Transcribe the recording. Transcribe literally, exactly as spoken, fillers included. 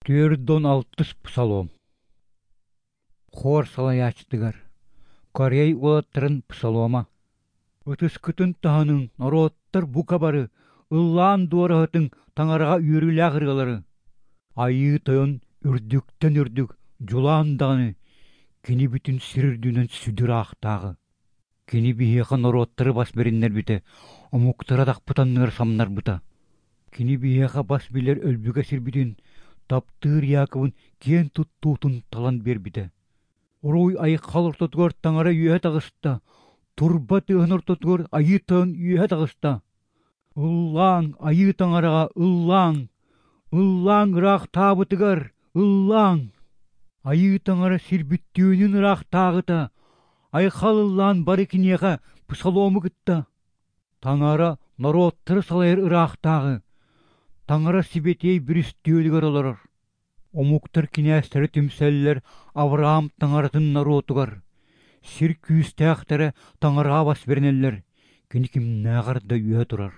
Түөрт уон алтыс псалом. Хор салайааччытыгар. Корей уолаттарын псалома. Ытыскытын таһыныҥ, норуоттар бука бары, ыллаан дуораһытыҥ Таҥараҕа үөрүүлээх ырыалары. Айыы Тойон үрдүктэн үрдүк, дьулаан даҕаны, кини бүтүн сир үрдүнэн сүдү ыраахтааҕы. Кини биһиэхэ норуоттары бас бэриннэрбитэ, омуктары атахпыт анныгар самнарбыта. Кини биһиэхэ бас билэр өлбүгэ сирбитин, таптыыр Иаковын киэн туттуутун талан биэрбитэ. Уруй айхал ортотугар Таҥара үөһэ таҕыста, турба тыаһын ортотугар Айыы Тойон үөһэ таҕыста. Ыллааҥ, Айыы Таҥараҕа ыллааҥ, ыллааҥ ыраахтаабытыгар, ыллааҥ. Айыы Таҥара сир бүттүүнүн ыраахтааҕыта, айхал ыллаан бары киниэхэ псалому кытта. Таҥара норуоттары салайар ыраахтааҕы, Таҥара сибэтиэй бүрүстүөлүгэр олорор. Омуктар кинээстэрэ түмсэллэр Авраам Таҥаратын норуотугар. Сир күүстээхтэрэ Таҥараҕа бас бэринэллэр, кини кимнээҕэр да үөһэ турар.